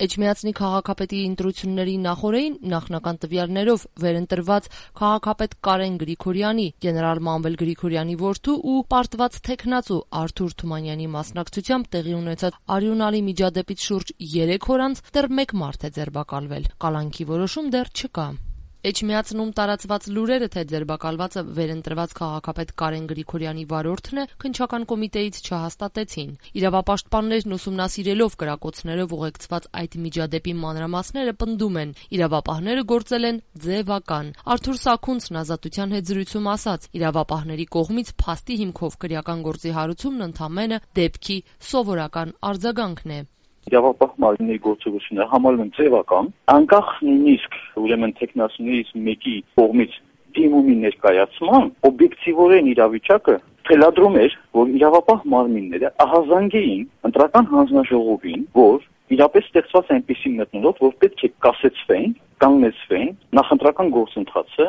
Էջմիածնի քաղաքապետի ընտրությունների նախօրեին նախնական տվյալներով վերընտրված քաղաքապետ Կարեն Գրիգորյանի, գեներալ Մանվել Գրիգորյանի որդու ու պարտված թեկնածու Արթուր Թումանյանի մասնակցությամբ տեղի ունեցած արյունալի միջադեպից շուրջ 3 օր անց դեռ 1 մարդ է ձերբակալվել։ Կալանքի որոշում դեռ չկա։ Էջմիածնում տարածված լուրերը, թե ձերբակալվածը վերընտրված քաղաքապետ Կարեն Գրիգորյանի վարորդն է, քննչական կոմիտեից չհաստատեցին։ Իրավապաշտպաններն ուսումնասիրելով կրակոցներով ուղեկցված այդ միջադեպի մանրամասները պնդում են, իրավապահները գործել են ձևական։ Արթուր Սաքունցն Ազատության հետ զրույցում ասաց, իրավապահների կողմից փաստի հիմքով քրեական գործի հարուցումն ընդամենը դեպքի սովորական արձագանքն է։ Իրավապահ մարմինների գործողությունները համարվում են ձևական, անկախ նույնիսկ ուրեմն տեխնացուներից մեկի կողմից դիմումի ներկայացման օբյեկտիվորեն իրավիճակը թելադրում էր, որ իրավապահ մարմինները ահազանգեին ընտրական հանձնաժողովին, որ իրապես ստեղծված այնպիսի մթնոլորտ, որ պետք է կասեցվեն, կանգնեցվեն նախընտրական գործընթացը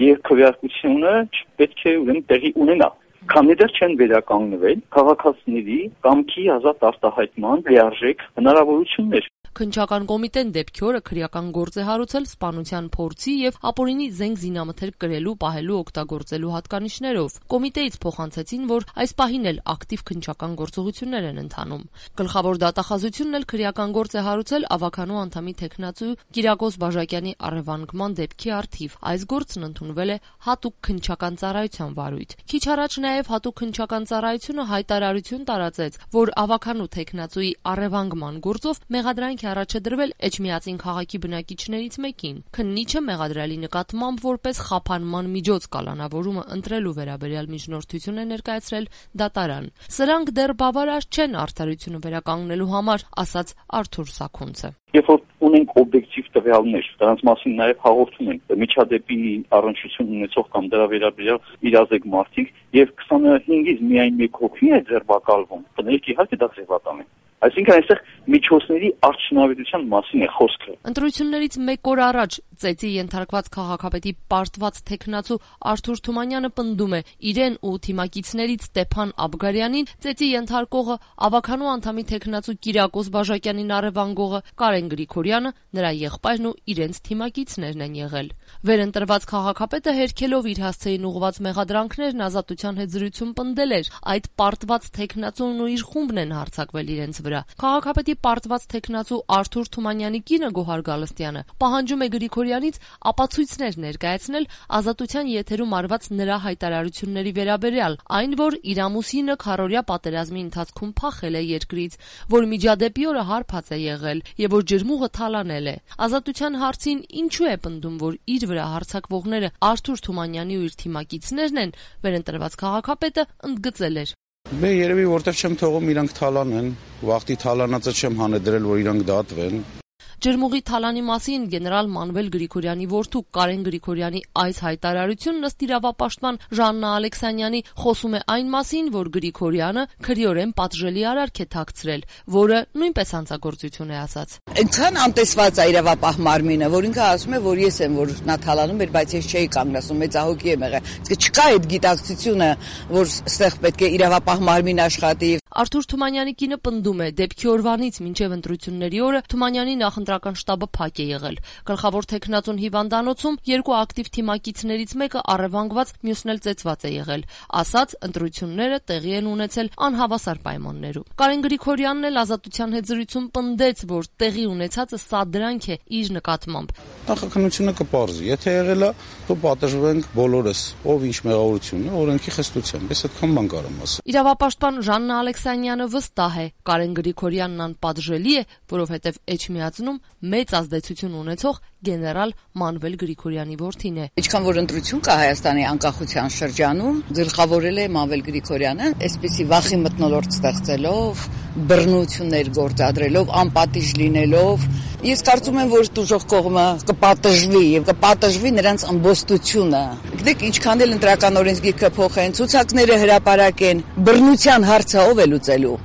եւ քվեարկությունը պետք է ուրեմն տեղի ունենա։ Քանի դեռ չեն վերականգնվել քաղաքացիների կամքի ազատ արտահայտման լիարժեք հնարավորություններ։ Քննչական կոմիտեն դեպքի օրը քրեական գործ է հարուցել սպանության փորձի եւ ապօրինի զենք զինամթերք կրելու, պահելու, օգտագործելու հատկանիշներով։ Կոմիտեից փոխանցեցին, որ այս պահին էլ ակտիվ քննչական գործողություններ են ընթանում։ Գլխավոր դատախազությունն էլ քրեական գործ է հարուցել ավականու անդամի թեկնածու Կիրակոս Բաժակյանի առևանգման դեպքի առթիվ։ Այս գործն ընդունվել է հատուկ քննչական ծառայության վարույթ։ Քիչ առաջ նաեւ հատուկ քննչական ծառայությունը հայտարարություն տարածեց, որ ավականու թեկնածուի առևանգման գործով մեղադրանք առաջադրվել Էջմիածին քաղաքի բնակիչներից մեկին։ Քննիչը մեղադրյալի նկատմամբ որպես խափանման միջոց կալանավորումը ընտրելու վերաբերյալ միջնորդություն է ներկայացրել դատարան։ Սրանք դեռ բավարար չեն արդարությունը վերականգնելու համար, ասաց Արթուր Սաքունցը։ Երբ որ ունենք օբյեկտիվ տվյալներ, դրանց մասին նաև հաղորդում ենք միջադեպի առնչություն ունեցող կամ դրա վերաբերյալ իրազեկ մարդիկ եւ 25-ից միայն 1 հոգի է ձերբակալվում, բնիկ իհարկե դա ձևական է։ Այսինքն այստեղ միջոցների արդյունավետության մասին է խոսքը։ Ընտրություններից 1 օր առաջ ծեծի ենթարկված քաղաքապետի պարտված թեկնածու Արթուր Թումանյանը պնդում է իրեն ու թիմակիցներից Ստեփան Աբգարյանին, ծեծի ենթարկողը ավականու անդամի թեկնածու Կիրակոս Բաժակյանին առևանգողը Կարեն Գրիգորյանը, նրա եղբայրն ու իրենց թիմակիցներն են եղել։ Վերընտրված քաղաքապետը հերքելով իր հասցեին ուղղված մեղադրանքներն Ազատության հետ զրույցում պնդել էր, այդ պարտված թեկնածուն ու իր խումբն են հարձակվել իրենց վրա։ Քաղաքապետի պարտված թեկնածու Արթուր Թումանյանի կինը Գոհար Գալստյանը պահանջում է Գրիգորյանից ապացույցներ ներկայացնել Ազատության եթերում արված նրա հայտարարությունների վերաբերյալ, այն, որ իր ամուսինը քառօրյա պատերազմի ընթացքում փախել է երկրից, որ միջադեպի օրը հարբած է եղել եւ որ ջրմուղը թալանել է։ Ազատության հարցին ինչու է պնդում, որ իր վրա հարձակվողները Արթուր Թումանյանի ու իր թիմակիցներն են, վերընտրված քաղաքապետը ընդգծել էր. Მე երևի որտեվ չեմ թողում իրանք թալանեն, վախտի թալանածը չեմ հանեդրել, որ իրանք դատվեն։ Ջրմուղի թալանի մասին գեներալ Մանվել Գրիգորյանի որդու Կարեն Գրիգորյանի այս հայտարարությունն ըստ իրավապաշտպան Ժաննա Ալեքսանյանի խոսում է այն մասին, որ Գրիգորյանը քրեորեն պատժելի արարք է թաքցրել, որը նույնպես հանցագործություն է ասաց։ Այնքան անտեսված է իրավապահ մարմինը, որ ինքը ասում է, որ ես եմ, որ նա թալանում էր, բայց ես չէի կանգնացում, մեծահոգի եմ եղել։ Իսկ չկա այդ գիտակցությունը, որ այստեղ պետք է իրավապահ մարմին աշխատի։ Արթուր Թումանյանի կինը պնդում է, դեպքի օրվանից մինչև ընտրությունների օրը Թումանյանի նախընտրական շտաբը փակ է եղել։ Գլխավոր թեկնածուն հիվանդանոցում 2 ակտիվ թիմակիցներից մեկը առևանգված, մյուսն էլ ծեծված է եղել։ Ասաց, ընտրությունները տեղի են ունեցել անհավասար պայմաններում։ Կարեն Գրիգորյանն էլ Ազատության հետ զրույցում պնդեց, որ տեղի ունեցածը սադրանք է իր նկատմամբ։ Նախաքննությունը կպարզի, եթե եղել է, դու պատժվենք բոլորս, ով ինչ մեղավորություն է, օրենքի խստությամբ։ Ես այդքան բան կարամ ասել։ Իրավապաշտպան Ժաննա Ալեքսանյանը վստահ է, Կարեն Գրիգորյանն անպատժելի է, որովհետև Էջմիածնում մեծ ազդեցություն ունեցող գեներալ Մանվել Գրիգորյանի որդին է։ Ինչքան որ ընտրություն կա Հայաստանի անկախության շրջանում, գլխավորել է Մանվել Գրիգորյանը, այսպիսի վախի մթնոլորտ ստեղծելով, բռնություններ գործադրելով, անպատիժ լինելով։ Ես կարծում եմ, որ դժոխք կողմը կպատժվի եւ կպատժվի նրանց ամբոստությունը։ Գիտեք, ինչքան էլ ընտրական օրենսգիրքը փոխեն, ցուցակները հրապարակեն, բռնության հարցը ով է լուծելու։